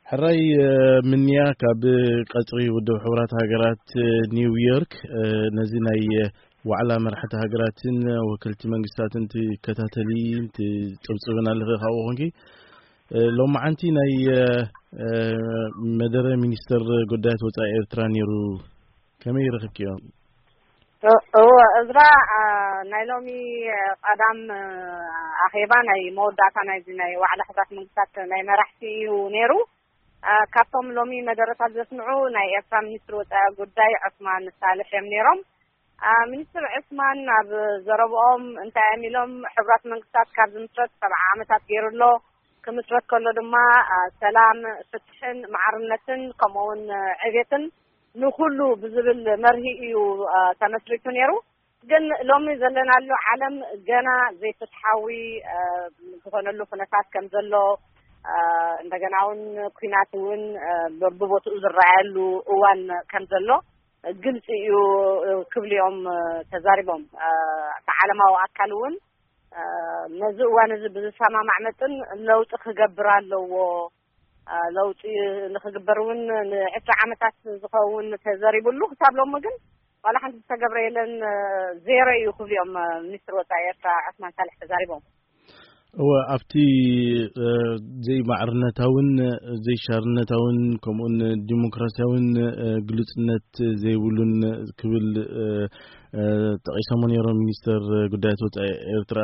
ሕራይ ምንያ ካብ ቀጽሪ ውድብ ሕቡራት ሃገራት ኒውዮርክ ነዚ ናይ ዋዕላ መራሕቲ ሃገራትን ወከልቲ መንግስታትን ትከታተሊ ትጽብጽብን ኣለኺ። ካብኡ ኮንኪ ሎማዓንቲ ናይ መደረ ሚኒስተር ጉዳያት ወጻኢ ኤርትራ ነይሩ። ከመይ ረኽብኪዮ? እወ፣ እዝራ፣ ናይ ሎሚ ቀዳም ኣኼባ ናይ መወዳእታ ናይዚ ናይ ዋዕላ ሕቡራት መንግስታት ናይ መራሕቲ እዩ ነይሩ። ካብቶም ሎሚ መደረታት ዘስምዑ ናይ ኤርትራ ሚኒስትሪ ወጻኢ ጉዳይ ዑስማን ሳልሕ እዮም ነይሮም። ሚኒስትር ዑስማን ኣብ ዘረብኦም እንታይ እዮም ኢሎም? ሕቡራት መንግስታት ካብ ዝምስረት ሰብዓ ዓመታት ገይሩ ኣሎ። ክምስረት ከሎ ድማ ሰላም፣ ፍትሕን ማዕርነትን ከምኡውን ዕቤትን ንኹሉ ብዝብል መርሂ እዩ ተመስሪቱ ነይሩ። ግን ሎሚ ዘለናሉ ዓለም ገና ዘይፍትሓዊ ዝኾነሉ ኩነታት ከም ዘሎ፣ እንደገና እውን ኩናት እውን በብቦትኡ ዝረኣየሉ እዋን ከም ዘሎ ግልፂ እዩ ክብሉ እዮም ተዛሪቦም። እቲ ዓለማዊ ኣካል እውን ነዚ እዋን እዚ ብዝሰማማዕ መጠን ለውጢ ክገብር ኣለዎ። ለውጢ ንክግበር እውን ንዕስራ ዓመታት ዝኸውን ተዘሪብሉ፣ ክሳብ ሎሚ ግን ዋላ ሓንቲ ዝተገብረ የለን፣ ዜሮ እዩ ክብሉ እዮም ሚኒስትር ወፃኢ ኤርትራ ዑስማን ሳልሕ ተዛሪቦም። እወ፣ ኣብቲ ዘይማዕርነታውን ዘይሻርነታውን ከምኡን ዲሞክራሲያውን ግሉጽነት ዘይብሉን ክብል ጠቒሶሞ ነይሮም ሚኒስተር ጉዳያት ወጻኢ ኤርትራ።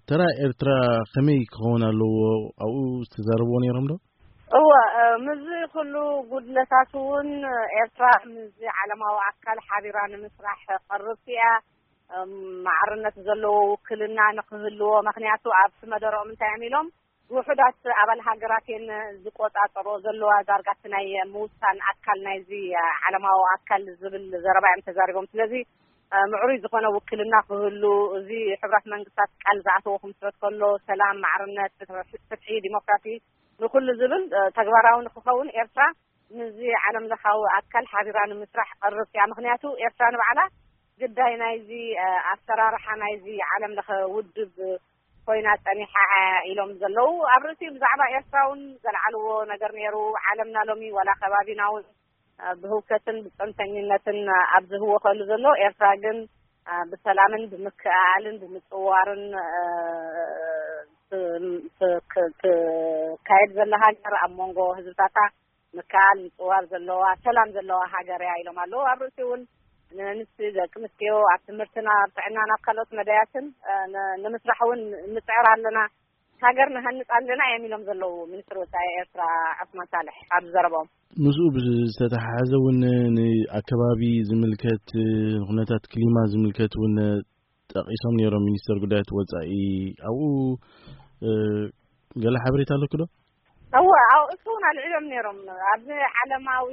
ተራ ኤርትራ ከመይ ክኸውን ኣለዎ ኣብኡ ዝተዛረብዎ ነይሮም ዶ? እወ፣ ምስዚ ኩሉ ጉድለታት እውን ኤርትራ ምስዚ ዓለማዊ ኣካል ሓቢራ ንምስራሕ ቀርብቲ እያ። ማዕርነት ዘለዎ ውክልና ንክህልዎ፣ ምክንያቱ ኣብቲ መደረኦም እንታይ እዮም ኢሎም፣ ውሑዳት ኣባል ሃገራት እየን ዝቆጻጸሮ ዘለዋ ዳርጋ እቲ ናይ ምውሳን ኣካል ናይዚ ዓለማዊ ኣካል ዝብል ዘረባ እዮም ተዛሪቦም። ስለዚ ምዕሩይ ዝኾነ ውክልና ክህሉ፣ እዚ ሕቡራት መንግስታት ቃል ዝኣተዎ ክምስረት ከሎ ሰላም፣ ማዕርነት፣ ፍትሒ፣ ዲሞክራሲ ንኩሉ ዝብል ተግባራዊ ንክኸውን ኤርትራ ምስዚ ዓለም ለኻዊ ኣካል ሓቢራ ንምስራሕ ቀርብቲ እያ። ምክንያቱ ኤርትራ ንባዕላ ግዳይ ናይዚ ኣሰራርሓ ናይዚ ዓለም ለኸ ውድብ ኮይና ጸኒሓ ኢሎም ዘለዉ። ኣብ ርእሲ ብዛዕባ ኤርትራ እውን ዘልዓልዎ ነገር ነይሩ። ዓለምና ሎሚ ዋላ ከባቢና እውን ብህውከትን ብጸንፈኝነትን ኣብ ዝህወኸሉ ዘሎ፣ ኤርትራ ግን ብሰላምን ብምክእኣልን ብምጽዋርን ትካየድ ዘላ ሃገር፣ ኣብ መንጎ ህዝብታታ ምክኣል ምጽዋር ዘለዋ፣ ሰላም ዘለዋ ሃገር እያ ኢሎም ኣለዉ። ኣብ ርእሲ እውን ንንስ ደቂ ኣንስትዮ ኣብ ትምህርትና፣ ኣብ ጥዕናን ኣብ ካልኦት መዳያትን ንምስራሕ እውን ንጽዕር ኣለና፣ ሃገር ንሃንጽ ኣለና እዮም ኢሎም ዘለዉ ሚኒስትር ወጻኢ ኤርትራ ዑስማን ሳልሕ ኣብ ዘረቦም። ምስኡ ብዝተተሓሓዘ እውን ንኣከባቢ ዝምልከት፣ ንኩነታት ክሊማ ዝምልከት እውን ጠቒሶም ነይሮም ሚኒስተር ጉዳያት ወጻኢ። ኣብኡ ገለ ሓበሬታ ኣለኩ ዶ? እወ፣ ኣብኡ እሱ እውን ኣልዒሎም ነይሮም። ኣብዚ ዓለማዊ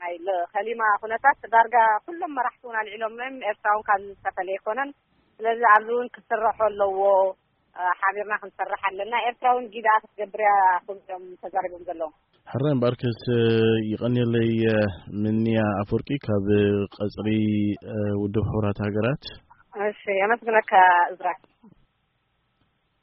ናይ ከሊማ ኩነታት ዳርጋ ኩሎም መራሕቲ እውን ኣልዒሎም እዮም። ኤርትራ እውን ካብዚ ዝተፈለየ ኣይኮነን። ስለዚ ኣብዚ እውን ክስረሖ ኣለዎ፣ ሓቢርና ክንሰርሕ ኣለና። ኤርትራ እውን ጊዳ ክትገብር እያ ክብሎም ተዛሪቦም ዘለዉ። ሕራይ እምበኣርከስ ይቐንየለይ። ምንያ ኣፈወርቂ ካብ ቀጽሪ ውድብ ሕቡራት ሃገራት። እሺ፣ የመስግነካ እዝራ።